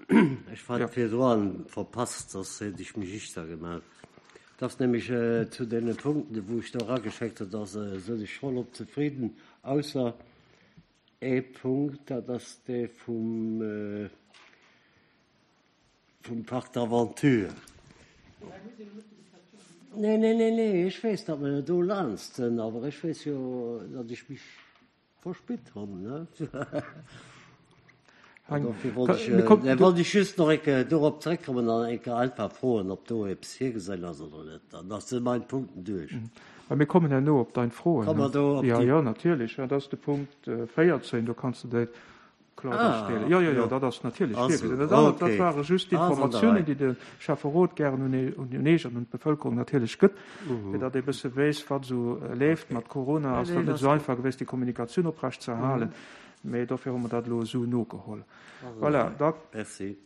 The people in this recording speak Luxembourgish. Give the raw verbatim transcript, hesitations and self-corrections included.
Ech hat ja. virdrun verpasst, soss hätt ech mech ichter gemaach. Dat ass nämlech äh, zu deene Punkten, wou ech do erageschéckt hunn, dass äh, sinn ech vollop zefridden, ausser ee Punkt, dat ass dee vum, äh, vum Parc d'aventure. Nee, nee, nee, nee, ech weess, datt mer do laanscht sinn, awer ech weess jo, datt ech mech verspillt hunn, ne? Dofir wollt ech, äh, wollt ech just nach eng Kéier dorop zréckkommen an eng Kéier einfach froen, ob do eppes virgesinn ass oder net. Dann ass si mein Punkten duerch. Mä mir kommen herno op dein Froen. Komme mer do op Ja, déi. jo, natierlech. Dat ass de Punkt véierzéng, do kanns de déi kloer Ah, stellen. Jo, jo, jo, jo. dat ass natierlech Also, virgesinn. Dat anert, dat okay. ware just Ah, ass an der d'Informatiounen, Rei. déi de Schäfferot gären un e- un Eech an un d'Bevëlkerung natierlech gëtt, fir datt ee bësse weess, wat esou leeft. Mat Corona Nee, ass nee, dat net dat esou ass einfach gewiescht, déi Kommunikatioun oprecht ze erhalen. Mee dofir hu mer dat elo esou nogeholl. Ass an Voilà, der da Rei. Merci.